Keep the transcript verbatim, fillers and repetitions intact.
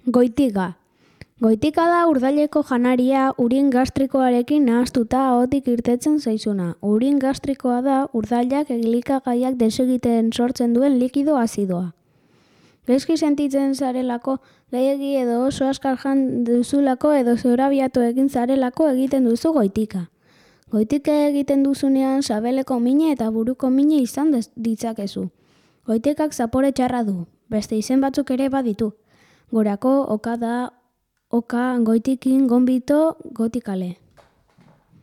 Goitika. Goitika da urdaileko janaria urin gastrikoarekin nahaztuta ahotik irtetzen zaizuna. Urin gastrikoa da urdailak elikagaiak desegiten sortzen duen likido azidoa. Gaizki sentitzen zarelako, gehiegi edo oso askar jan duzulako edo zorabiatu egin zarelako egiten duzu goitika. Goitika egiten duzunean sabeleko mine eta buruko mine izan ditzakezu. Goitikak zapore txarra du, beste izen batzuk ere baditu. Gorako, okada, oka, goitikin, gonbito, gotikale.